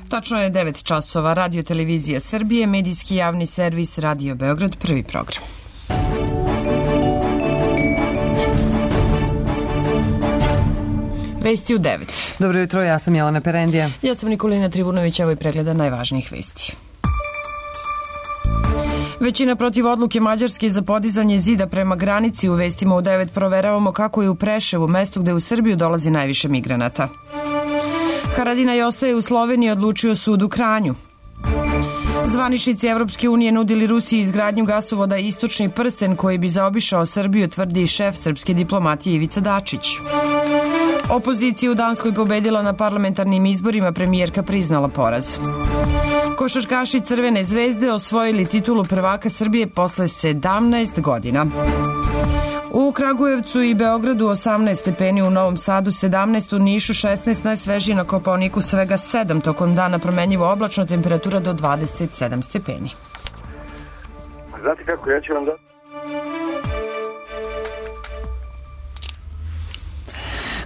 Tačno je 9 časova. Radio Televizija Srbije, medijski javni servis Radio Beograd, prvi program. Vesti u 9. Dobro jutro, ja sam Jelena Perendija. Ja sam Nikolina Trivunović, evo i pregleda najvažnijih vesti. Većina protiv odluke Mađarske za podizanje zida prema granici. U vestima u 9 proveravamo kako je u Preševu, mestu gde u Srbiju dolazi najviše migranata. Haradinaj ostaje u Sloveniji, odlučio sud u Kranju. Zvaničnici Evropske unije nudili Rusiji izgradnju gasovoda Istočni prsten koji bi zaobišao Srbiju, tvrdi šef srpske diplomatije Ivica Dačić. Opozicija u Danskoj pobedila na parlamentarnim izborima, premijerka priznala poraz. Košarkaši Crvene zvezde osvojili titulu prvaka Srbije posle 17 godina. U Kragujevcu i Beogradu 18 stepeni, u Novom Sadu 17, u Nišu 16, najsvežiji na Kopaoniku svega 7, tokom dana promenljivo oblačno, temperatura do 27 stepeni. Znate kako, ja ću vam dati.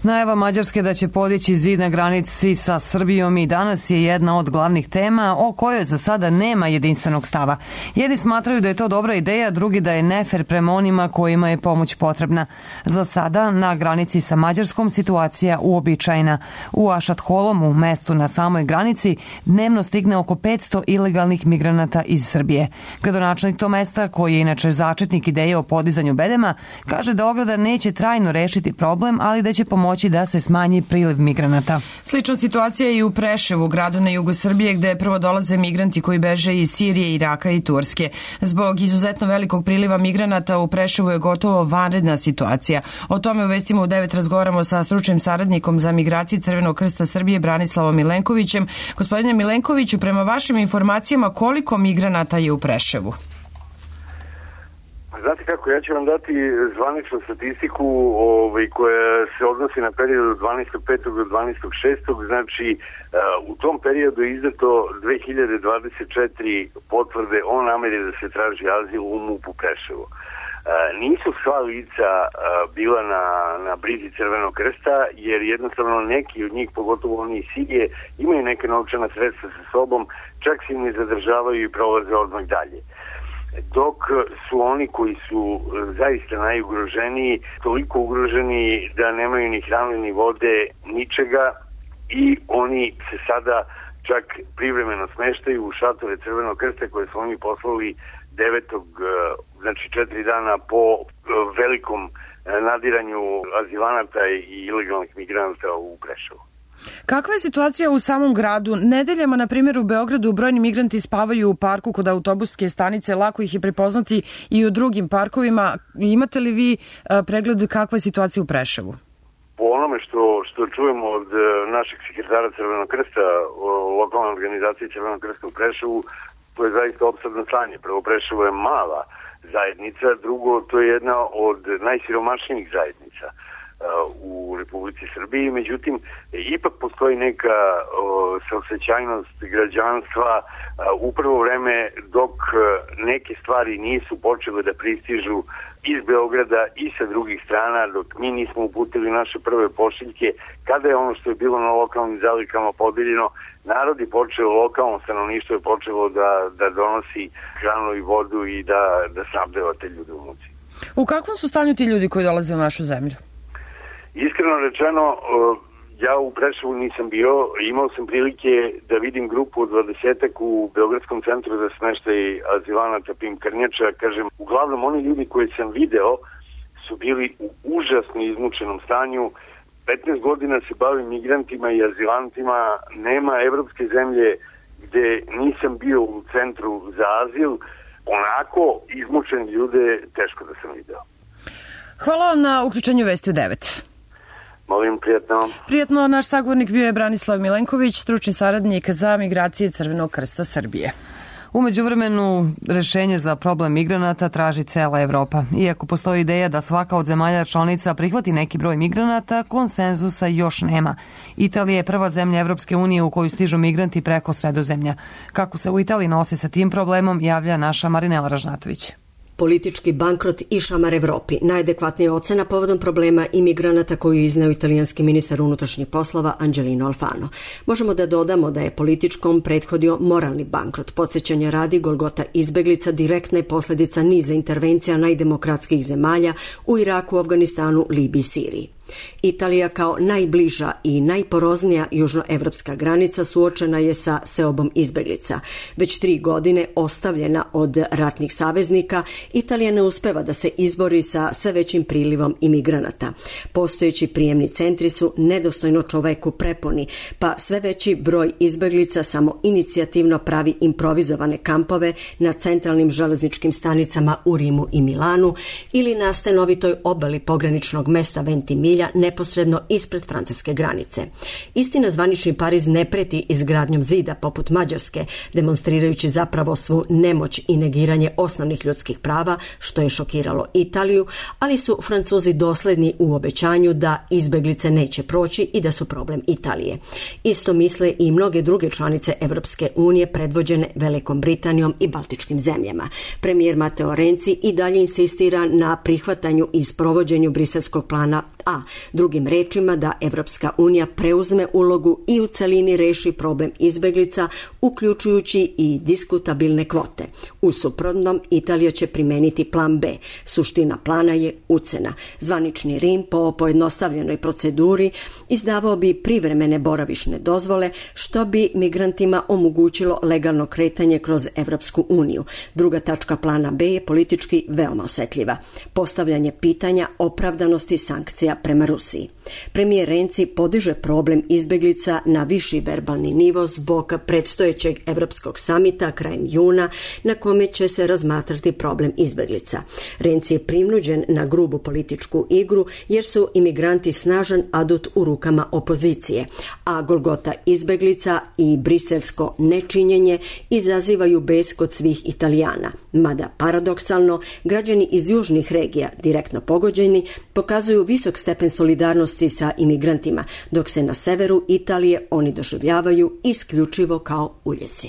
Najava Mađarske da će podići zid na granici sa Srbijom i danas je jedna od glavnih tema o kojoj za sada nema jedinstvenog stava. Jedni smatraju da je to dobra ideja, drugi da je nefer prema onima kojima je pomoć potrebna. Za sada na granici sa Mađarskom situacija uobičajena. U Ašatholom, mestu na samoj granici, dnevno stigne oko 500 ilegalnih migranata iz Srbije. Gradonačelnik to mesta, koji je inače začetnik ideje o podizanju bedema, kaže da ograda neće trajno rešiti problem, ali da će pomoći da se smanji priliv migranata. Slična situacija je i u Preševu, gradu na jugu Srbije, gde prvo dolaze migranti koji beže iz Sirije, Iraka i Turske. Zbog izuzetno velikog priliva migranata u Preševu je gotovo vanredna situacija. O tome u vestima u 9 razgovaramo sa stručnim saradnikom za migracije Crvenog krsta Srbije Branislavom Milenkovićem. Gospodine Milenkoviću, prema vašim informacijama, koliko migranata je u Preševu? Znate kako, ja ću vam dati zvaničnu statistiku koja se odnosi na period od 12.5. do 12.6. Znači, u tom periodu je izdato 2024 potvrde o nameri da se traži azil u MUP-u Preševu. Nisu sva lica bila na brizi Crvenog krsta, jer jednostavno neki od njih, pogotovo oni iz Sirije, imaju neke novčana sredstva sa sobom, čak se im ne zadržavaju i prolaze odmah dalje. Dok su oni koji su zaista najugroženiji, toliko ugroženi da nemaju ni hrane, ni vode, ničega, i oni se sada čak privremeno smeštaju u šatore Crvenog krsta koje su oni poslali 9. znači 4 dana po velikom nadiranju azilanata i ilegalnih migranata u Preševu. Kakva je situacija u samom gradu? Nedeljama, na primjer, u Beogradu brojni migranti spavaju u parku kod autobuske stanice, lako ih je prepoznati i u drugim parkovima. Imate li vi pregled kakva je situacija u Preševu? Po onome što čujemo od našeg sekretara Crvenog krsta, lokalne organizacije Crvenog krsta u Preševu, to je zaista opsadno stanje. Prvo, Preševo je mala zajednica, drugo, to je jedna od najsiromašnijih zajednica u Republici Srbiji, međutim ipak postoji neka saosećajnost građanstva u prvo vreme dok neke stvari nisu počele da pristižu iz Beograda i sa drugih strana, dok mi nismo uputili naše prve pošiljke, kada je ono što je bilo na lokalnim zalihama podeljeno, narod je počeo, lokalno stanovništvo je počelo da donosi hranu i vodu i da snabdeva te ljude u muci. U kakvom su stanju ti ljudi koji dolaze u našu zemlju? Iskreno rečeno, ja u Preševu nisam bio, imao sam prilike da vidim grupu od 20-ak u Beogradskom centru za smeštaj azilanata Pim Krnjača. Kažem, uglavnom oni ljudi koje sam video su bili u užasno izmučenom stanju. 15 godina se bavim migrantima i azilantima, nema evropske zemlje gde nisam bio u centru za azil, onako izmučene ljude teško da sam video. Hvala vam na uključenju vesti u 9. Molim, prijatno. Prijatno, naš sagovornik bio je Branislav Milenković, stručni saradnik za migracije Crvenog krsta Srbije. U međuvremenu, rešenje za problem migranata traži cela Evropa. Iako postoji ideja da svaka od zemalja članica prihvati neki broj migranata, konsenzusa još nema. Italija je prva zemlja Evropske unije u koju stižu migranti preko Sredozemlja. Kako se u Italiji nosi sa tim problemom, javlja naša Marinela Ražnatović. politički bankrot i šamar Evropi. Najadekvatnija ocena povodom problema imigranata koju je izneo italijanski ministar unutrašnjih poslova Angelino Alfano. Možemo da dodamo da je političkom prethodio moralni bankrot. Podsjećanja radi, golgota izbeglica direktna je posljedica niza intervencija najdemokratskih zemalja u Iraku, Afganistanu, Libiji i Siriji. Italija kao najbliža i najporoznija južnoevropska granica suočena je sa seobom izbeglica. Već 3 godine ostavljena od ratnih saveznika, Italija ne uspeva da se izbori sa sve većim prilivom imigranata. Postojeći prijemni centri su nedostojno čoveku prepuni, pa sve veći broj izbeglica samo inicijativno pravi improvizovane kampove na centralnim železničkim stanicama u Rimu i Milanu ili na stanovitoj obali pograničnog mesta Ventimiglia neposredno ispred francuske granice. Istina, zvanični Pariz ne preti izgradnjom zida poput Mađarske, demonstrirajući zapravo svu nemoć i negiranje osnovnih ljudskih prava, što je šokiralo Italiju, ali su Francuzi dosledni u obećanju da izbeglice neće proći i da su problem Italije. Isto misle i mnoge druge članice Evropske unije predvođene Velikom Britanijom i Baltičkim zemljama. Premijer Matteo Renzi i dalje insistira na prihvatanju i sprovođenju briselskog plana A. Drugim rečima da Evropska unija preuzme ulogu i u celini reši problem izbeglica, uključujući i diskutabilne kvote. U suprotnom, Italija će primeniti plan B. Suština plana je ucena. Zvanični Rim po pojednostavljenoj proceduri izdavao bi privremene boravišne dozvole, što bi migrantima omogućilo legalno kretanje kroz Evropsku uniju. Druga tačka plana B je politički veoma osetljiva. Postavljanje pitanja opravdanosti sankcija prema Rusiji. Premijer Renzi podiže problem izbeglica na viši verbalni nivo zbog predstojećeg Evropskog samita krajem juna na kome će se razmatrati problem izbeglica. Renzi je prinuđen na grubu političku igru jer su imigranti snažan adut u rukama opozicije, a golgota izbeglica i briselsko nečinjenje izazivaju bes kod svih Italijana. Mada paradoksalno, građani iz južnih regija, direktno pogođeni, pokazuju visok stepen solidarnosti sa imigrantima, dok se na severu Italije oni doživljavaju isključivo kao uljezi.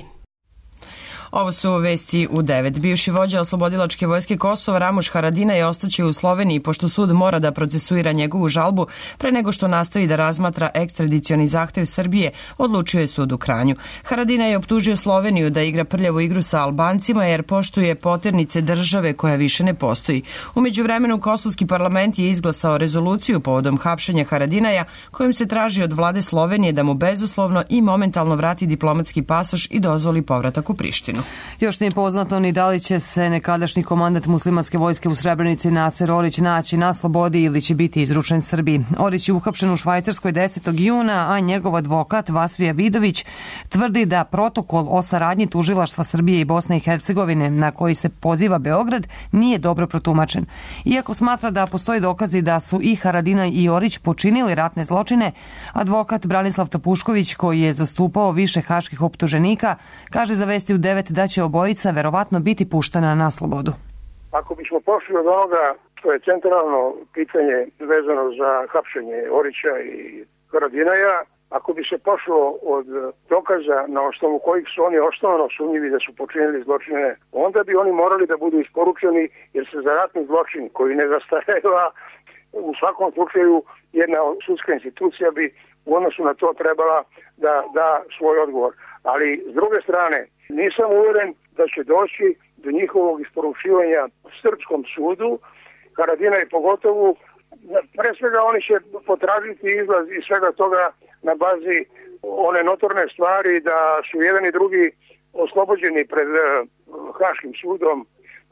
Ovo su vesti u 9. Bivši vođa oslobodilačke vojske Kosova Ramuš Haradinaj ostaće u Sloveniji pošto sud mora da procesuira njegovu žalbu pre nego što nastavi da razmatra ekstradicioni zahtev Srbije, odlučuje sud u Kranju. Haradinaj je optužio Sloveniju da igra prljavu igru sa Albancima jer poštuje poternice države koja više ne postoji. U međuvremenu kosovski parlament je izglasao rezoluciju povodom hapšenja Haradinaja kojim se traži od vlade Slovenije da mu bezuslovno i momentalno vrati diplomatski pasoš i dozvoli povratak u Prištinu. Još nije poznato ni da li će se nekadašnji komandant muslimanske vojske u Srebrenici Naser Orić naći na slobodi ili će biti izručen Srbiji. Orić je uhapšen u Švajcarskoj 10. juna, a njegov advokat Vasvija Vidović tvrdi da protokol o saradnji tužilaštva Srbije i Bosne i Hercegovine na koji se poziva Beograd nije dobro protumačen. Iako smatra da postoji dokazi da su i Haradinaj i Orić počinili ratne zločine, advokat Branislav Tapušković, koji je zastupao više haških optuženika, kaže za Vesti u 9 da će obojica verovatno biti puštena na slobodu. Ako bismo pošli od onoga što je centralno pitanje vezano za hapšenje Orića i Haradinaja, ako bi se pošlo od dokaza na osnovu kojih su oni osnovno sumnjivi da su počinili zločine, onda bi oni morali da budu isporučeni jer se za ratni zločin koji ne zastareva u svakom slučaju jedna sudska institucija bi u odnosu na to trebala da da svoj odgovor. Ali s druge strane, nisam uveren da će doći do njihovog isporučivanja srpskom sudu, Haradinaj pogotovo. Pre svega oni će potražiti izlaz iz svega toga na bazi one notorne stvari da su jedan i drugi oslobođeni pred Haškim sudom,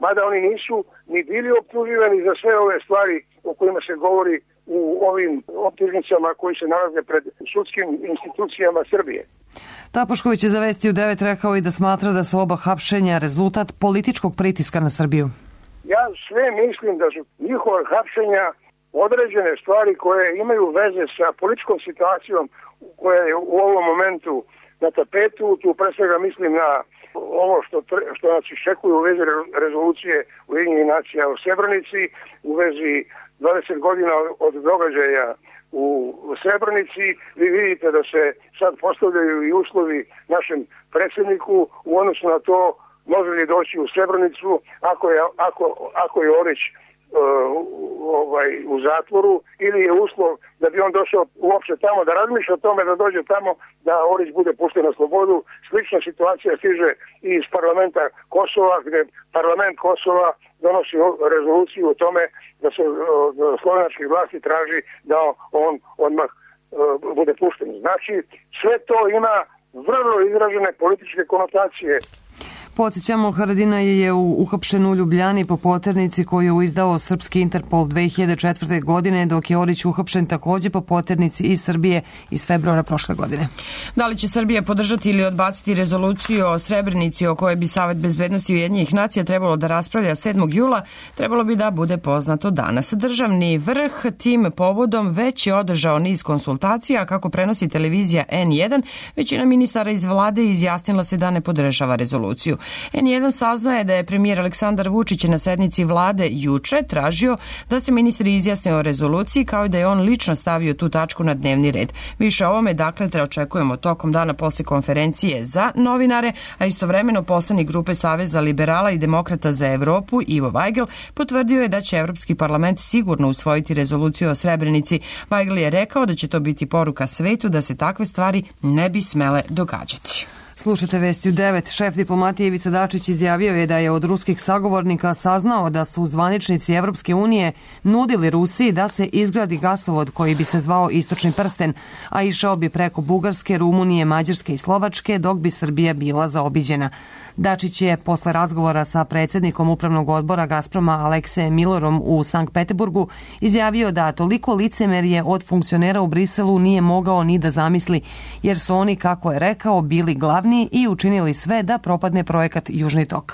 mada oni nisu ni bili optuživani za sve ove stvari o kojima se govori u ovim optužnicama koji se nalaze pred sudskim institucijama Srbije. Tapušković je za Vesti u 9 rekao i da smatra da su oba hapšenja rezultat političkog pritiska na Srbiju. Ja sve mislim da su njihova hapšenja određene stvari koje imaju veze sa političkom situacijom koja je u ovom momentu na tapetu. Tu pre svega mislim na ovo što nas iščekuje u vezi rezolucije Ujedinjenih nacija o Srebrenici, u vezi 20 godina od događaja u Srebrenici. Vi vidite da se sad postavljaju i uslovi našem predsjedniku u odnosu na to može li doći u Srebrenicu ako je Orić u zatvoru, ili je uslov da bi on došao uopšte tamo, da razmišlja o tome da dođe tamo, da Orić bude pušten na slobodu. Slična situacija stiže i iz parlamenta Kosova, gde parlament Kosova donosi rezoluciju o tome da se od slovenačkih vlasti traži da on odmah bude pušten. Znači, sve to ima vrlo izražene političke konotacije. Podsjećamo, Haradinaj je uhapšen u Ljubljani po poternici koju je izdao srpski Interpol 2004. godine, dok je Orić uhapšen takođe po poternici iz Srbije iz februara prošle godine. Da li će Srbija podržati ili odbaciti rezoluciju o Srebrenici o kojoj bi Savet bezbednosti Ujedinjenih nacija trebalo da raspravlja 7. jula, trebalo bi da bude poznato danas. Državni vrh tim povodom već je održao niz konsultacija, kako prenosi televizija N1, većina ministara iz vlade izjasnila se da ne podržava rezoluciju. N1 saznaje da je premijer Aleksandar Vučić na sednici vlade juče tražio da se ministri izjasne o rezoluciji, kao i da je on lično stavio tu tačku na dnevni red. Više o ovome, dakle, očekujemo tokom dana posle konferencije za novinare, a istovremeno poslanik grupe Saveza liberala i demokrata za Evropu Ivo Vajgl potvrdio je da će Evropski parlament sigurno usvojiti rezoluciju o Srebrenici. Vajgl je rekao da će to biti poruka svetu da se takve stvari ne bi smele događati. Slušajte vesti u 9. Šef diplomatije Ivica Dačić izjavio je da je od ruskih sagovornika saznao da su zvaničnici Evropske unije nudili Rusiji da se izgradi gasovod koji bi se zvao Istočni prsten, a išao bi preko Bugarske, Rumunije, Mađarske i Slovačke, dok bi Srbija bila zaobiđena. Dačić je posle razgovora sa predsjednikom upravnog odbora Gazproma Aleksejem Milorom u Sankt Peteburgu izjavio da toliko licemerje od funkcionera u Briselu nije mogao ni da zamisli, jer su oni, kako je rekao, bili glavni i učinili sve da propadne projekat Južni tok.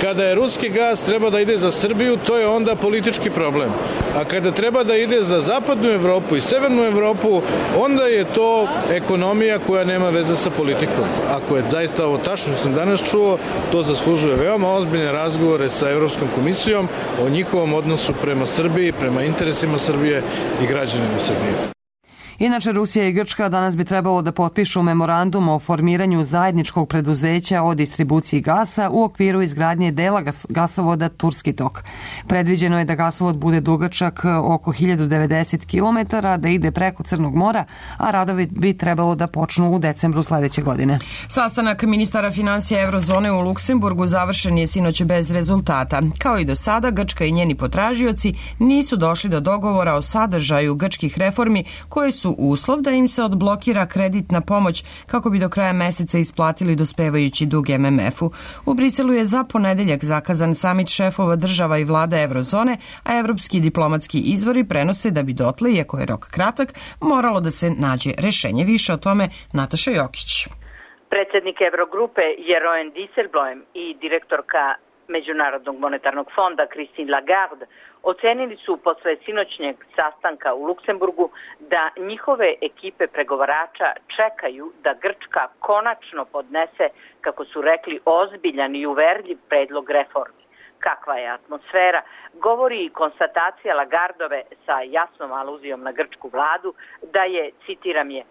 Kada je ruski gas treba da ide za Srbiju, to je onda politički problem. A kada treba da ide za zapadnu Evropu i severnu Evropu, onda je to ekonomija koja nema veze sa politikom. Ako je zaista ovo tačno što sam danas čuo, to zaslužuje veoma ozbiljne razgovore sa Evropskom komisijom o njihovom odnosu prema Srbiji, prema interesima Srbije i građanima Srbije. Inače, Rusija i Grčka danas bi trebalo da potpišu memorandum o formiranju zajedničkog preduzeća o distribuciji gasa u okviru izgradnje dela gasovoda Turski tok. Predviđeno je da gasovod bude dugačak oko 1090 km, da ide preko Crnog mora, a radovi bi trebalo da počnu u decembru sledeće godine. Sastanak ministara finansija Eurozone u Luksemburgu završen je sinoć bez rezultata. Kao i do sada, Grčka i njeni potražioci nisu došli do dogovora o sadržaju grčkih reformi koje su uslov da im se odblokira kreditna pomoć kako bi do kraja meseca isplatili dospevajući dug MMF-u. U Briselu je za ponedeljak zakazan samit šefova država i vlada Eurozone, a evropski diplomatski izvori prenose da bi dotle, iako je rok kratak, moralo da se nađe rešenje. Više o tome Nataša Jokić. Predsjednik Eurogrupe Jeroen Dijsselbloem i direktorka Međunarodnog monetarnog fonda Christine Lagarde ocenili su posle sinoćnjeg sastanka u Luksemburgu da njihove ekipe pregovarača čekaju da Grčka konačno podnese, kako su rekli, ozbiljan i uverljiv predlog reformi. Kakva je atmosfera, govori i konstatacija Lagardove sa jasnom aluzijom na grčku vladu da je, citiram je,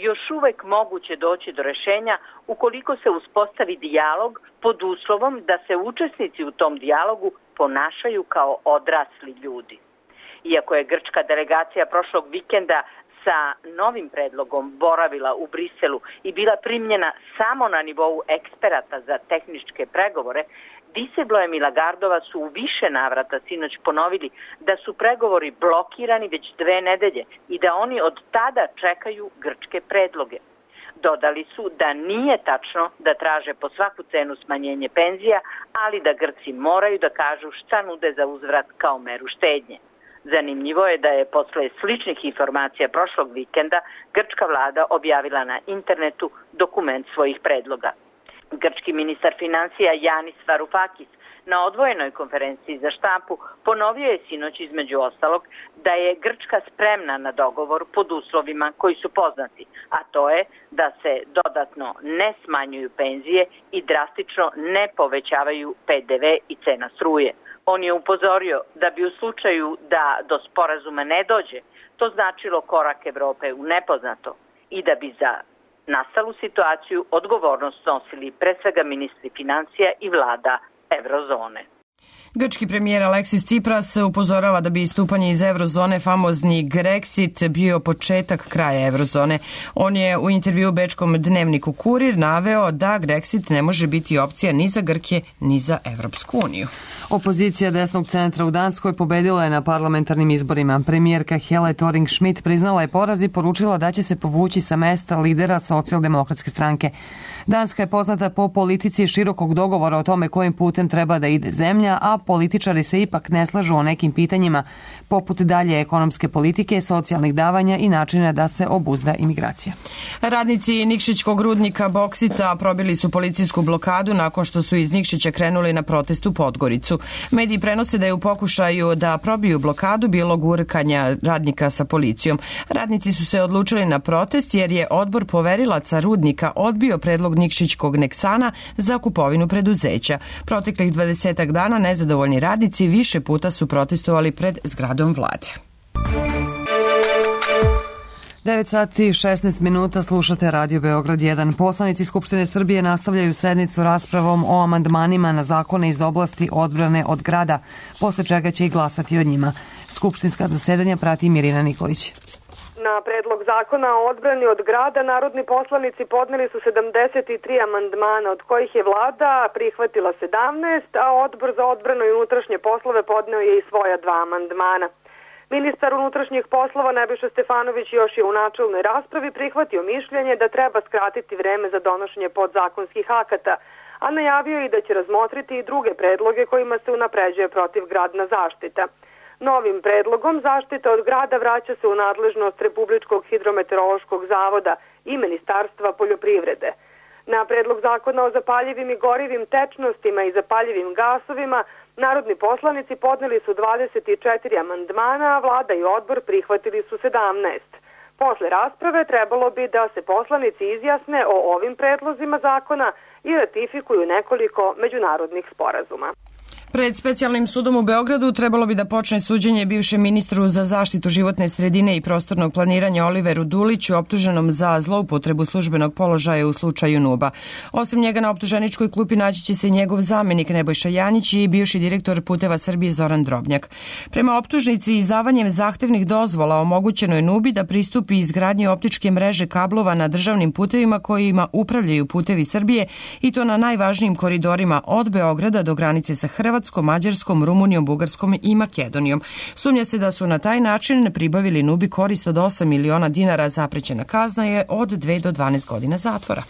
još uvek moguće doći do rešenja ukoliko se uspostavi dijalog pod uslovom da se učesnici u tom dijalogu ponašaju kao odrasli ljudi. Iako je grčka delegacija prošlog vikenda sa novim predlogom boravila u Briselu i bila primljena samo na nivou eksperata za tehničke pregovore, Dijsselbloem i Lagardova su u više navrata sinoć ponovili da su pregovori blokirani već 2 nedelje i da oni od tada čekaju grčke predloge. Dodali su da nije tačno da traže po svaku cenu smanjenje penzija, ali da Grci moraju da kažu šta nude za uzvrat kao meru štednje. Zanimljivo je da je posle sličnih informacija prošlog vikenda grčka vlada objavila na internetu dokument svojih predloga. Grčki ministar finansija Yanis Varoufakis na odvojenoj konferenciji za štampu ponovio je sinoć između ostalog da je Grčka spremna na dogovor pod uslovima koji su poznati, a to je da se dodatno ne smanjuju penzije i drastično ne povećavaju PDV i cena struje. On je upozorio da bi u slučaju da do sporazuma ne dođe, to značilo korak Evrope u nepoznato i da bi za nastalu situaciju odgovornost snosili pre svega ministri financija i vlada Evrozone. Grčki premijer Aleksis Tsipras upozorava da bi istupanje iz Evrozone, famozni Grexit, bio početak kraja Evrozone. On je u intervju bečkom dnevniku Kurir naveo da Grexit ne može biti opcija ni za Grke, ni za Evropsku uniju. Opozicija desnog centra u Danskoj pobedila je na parlamentarnim izborima. Premijerka Helle Thorning-Schmidt priznala je poraz i poručila da će se povući sa mesta lidera socijaldemokratske stranke. Danska je poznata po politici širokog dogovora o tome kojim putem treba da ide zemlja, a političari se ipak ne slažu o nekim pitanjima, poput dalje ekonomske politike, socijalnih davanja i načina da se obuzda imigracija. Radnici Nikšićkog rudnika Boksita probili su policijsku blokadu nakon što su iz Nikšića krenuli na protest u Podgoricu. Mediji prenose da je u pokušaju da probiju blokadu bilo gurkanja radnika sa policijom. Radnici su se odlučili na protest jer je odbor poverilaca rudnika odbio predlog Nikšićkog Neksana za kupovinu preduzeća. Proteklih 20 dana nezadovoljni radnici više puta su protestovali pred zgradom vlade. 9 sati i 16 minuta, slušate Radio Beograd 1. Poslanici Skupštine Srbije nastavljaju sednicu raspravom o amandmanima na zakone iz oblasti odbrane od grada, posle čega će i glasati o njima. Skupštinska zasedanja prati Mirina Nikolić. Na predlog zakona o odbrani od grada narodni poslanici podneli su 73 amandmana, od kojih je vlada prihvatila 17, a odbor za odbranu i unutrašnje poslove podneo je i svoja 2 amandmana. Ministar unutrašnjih poslova Nebojša Stefanović još je u načelnoj raspravi prihvatio mišljenje da treba skratiti vreme za donošenje podzakonskih akata, a najavio i da će razmotriti i druge predloge kojima se unapređuje protivgradna zaštita. Novim predlogom zaštita od grada vraća se u nadležnost Republičkog hidrometeorološkog zavoda i Ministarstva poljoprivrede. Na predlog zakona o zapaljivim i gorivim tečnostima i zapaljivim gasovima narodni poslanici podneli su 24 amandmana, a vlada i odbor prihvatili su 17. Posle rasprave trebalo bi da se poslanici izjasne o ovim predlozima zakona i ratifikuju nekoliko međunarodnih sporazuma. Pred specijalnim sudom u Beogradu trebalo bi da počne suđenje bivšem ministru za zaštitu životne sredine i prostornog planiranja Oliveru Duliću, optuženom za zloupotrebu službenog položaja u slučaju Nuba. Osim njega na optuženičkoj klupi naći će se i njegov zamenik Nebojša Janjić i bivši direktor Puteva Srbije Zoran Drobnjak. Prema optužnici, izdavanjem zahtevnih dozvola omogućeno je Nubi da pristupi izgradnji optičke mreže kablova na državnim putevima kojima upravljaju Putevi Srbije, i to na najvažnijim koridorima od Beograda do granice sa Hrvatskom, Mađarskom, Rumunijom, Bugarskom i Makedonijom. Sumnja se da su na taj način pribavili Nubi korist od 8 miliona dinara. Zaprećena kazna je od 2 do 12 godina zatvora.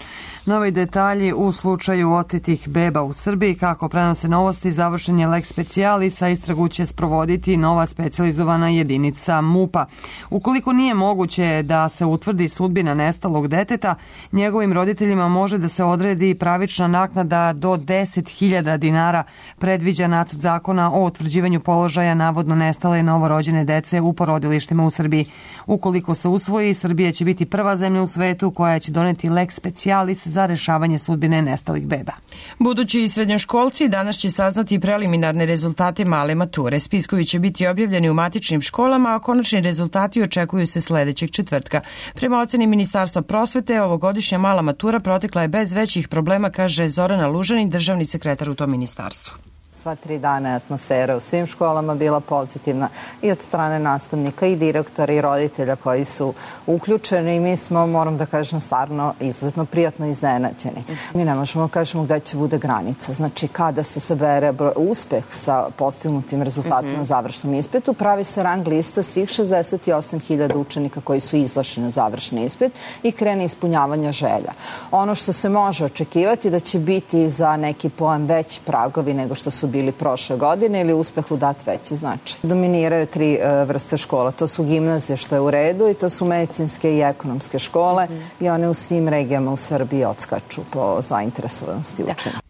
Novi detalji u slučaju otetih beba u Srbiji. Kako prenose Novosti, završen je lex specialis, a istragu će sprovoditi nova specijalizovana jedinica MUP-a. Ukoliko nije moguće da se utvrdi sudbina nestalog deteta, njegovim roditeljima može da se odredi pravična naknada do 10.000 dinara, predviđa nacrt zakona o utvrđivanju položaja navodno nestale novorođene dece u porodilištima u Srbiji. Ukoliko se usvoji, Srbija će biti prva zemlja u svetu koja će doneti lex specialis za rešavanje sudbine nestalih beba. Budući srednjoškolci danas će saznati preliminarne rezultate male mature. Spiskovi će biti objavljeni u matičnim školama, a konačni rezultati očekuju se sledećeg četvrtka. Prema oceni Ministarstva prosvete, ovogodišnja mala matura protekla je bez većih problema, kaže Zorana Lužanin, državni sekretar u tom ministarstvu. Sva 3 dana je atmosfera u svim školama bila pozitivna i od strane nastavnika i direktora i roditelja koji su uključeni i mi smo, moram da kažem, stvarno izuzetno prijatno iznenađeni. Mi ne možemo kažemo gde će bude granica. Znači, kada se sabere uspeh sa postignutim rezultatima na završnom ispitu, pravi se rang lista svih 68.000 učenika koji su izašli na završni ispit i krene ispunjavanja želja. Ono što se može očekivati da će biti za neki pojam veći pragovi nego što su bili prošle godine ili uspehu dat veći značaj. Dominiraju 3 vrste škola. To su gimnazije, što je u redu, i to su medicinske i ekonomske škole i one u svim regijama u Srbiji odskaču po zainteresovanosti učenika.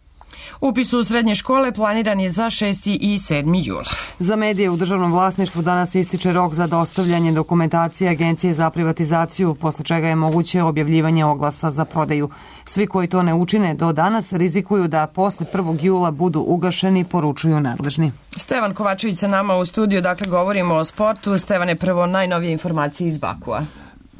Upis u srednje škole planiran je za 6. i 7. jula. Za medije u državnom vlasništvu danas ističe rok za dostavljanje dokumentacije Agencije za privatizaciju, posle čega je moguće objavljivanje oglasa za prodaju. Svi koji to ne učine do danas rizikuju da posle 1. jula budu ugašeni, poručuju nadležni. Stevan Kovačević sa nama u studiju, dakle govorimo o sportu. Stevane, prvo najnovije informacije iz Bakua.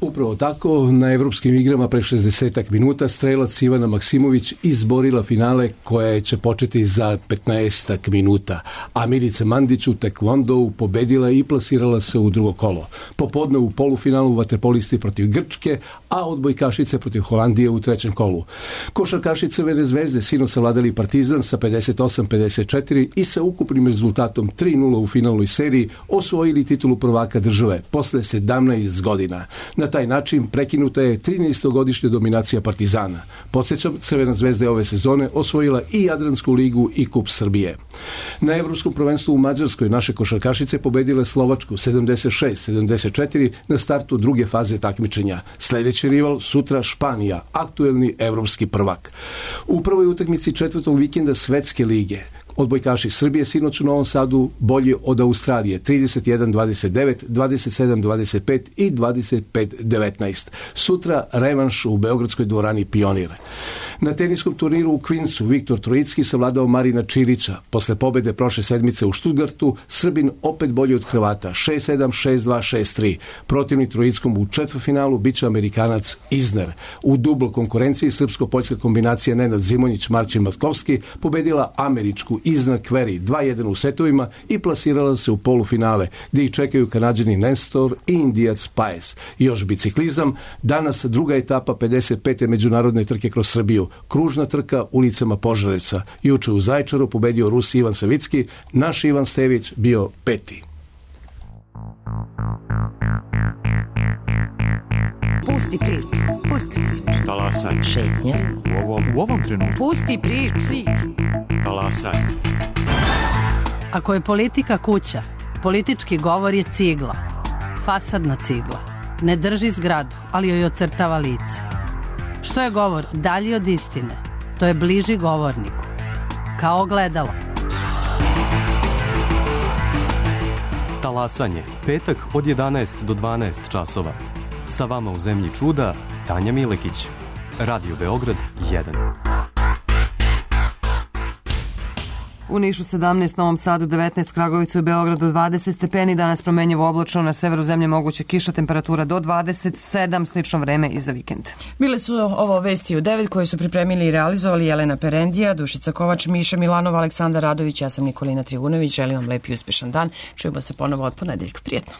Upravo tako, na evropskim igrama pre 60 minuta strelac Ivana Maksimović izborila finale koje će početi za 15 minuta. A Milica Mandić u tekvondou pobedila i plasirala se u drugo kolo. Popodne u polufinalu vaterpolisti protiv Grčke, a odbojkašice protiv Holandije u trećem kolu. Košarkaši Crvene zvezde sinoć savladali Partizan sa 58-54 i sa ukupnim rezultatom 3-0 u finalnoj seriji osvojili titulu prvaka države posle 17 godina. Na taj način prekinuta je 13-godišnja dominacija Partizana. Podsjećam, Crvena zvezda je ove sezone osvojila i Jadransku ligu i Kup Srbije. Na Evropskom prvenstvu u Mađarskoj naše košarkašice pobedile Slovačku 76-74 na startu druge faze takmičenja. Sljedeći rival sutra Španija, aktuelni evropski prvak. U prvoj utakmici četvrtog vikenda Svetske lige odbojkaši Srbije sinoć u Novom Sadu bolji od Australije 31-29, 27-25 i 25-19. Sutra revanš u beogradskoj dvorani Pionir. Na teniskom turniru u Queensu Viktor Trojicki savladao Marina Čilića. Posle pobede prošle sedmice u Stuttgartu, Srbin opet bolji od Hrvata 6-7, 6-2, 6-3. Protivnik Trojickom u četvrtfinalu biće Amerikanac Isner. U dubl konkurenciji srpsko-poljska kombinacija Nenad Zimonjić, Marcin Matkovski pobedila američku Isner Querrey 2-1 u setovima i plasirala se u polufinale, gdje ih čekaju Kanađani Nestor i Indijac Paes. Još biciklizam, danas druga etapa 55. međunarodne trke kroz Srbiju, kružna trka ulicama Požarevca. Juče u Zaječaru pobedio Rus Ivan Savicki, naš Ivan Stević bio peti. Pusti priču, pusti priču. Talasaj. Šetnje. U ovom trenutku. Pusti priču. Talasaj. Ako je politika kuća, politički govor je cigla. Fasadna cigla. Ne drži zgradu, ali joj ocrtava lice. Što je govor dalji od istine, to je bliži govorniku. Kao ogledalo. Talasanje, petak od 11 do 12 časova. Sa vama u zemlji čuda, Tanja Milekić. Radio Beograd 1. U Nišu 17, Novom Sadu 19, Kragovicu i Beogradu 20 stepeni, danas promenjivo oblačno, na severu zemlje moguće kiša, temperatura do 27, slično vreme i za vikend. Bile su ovo vesti u 9 koje su pripremili i realizovali Jelena Perendija, Dušica Kovač, Miša Milanova, Aleksandar Radović, ja sam Nikolina Trivunović, želim vam lep i uspešan dan, čujemo se ponovo od ponedeljka, prijetno.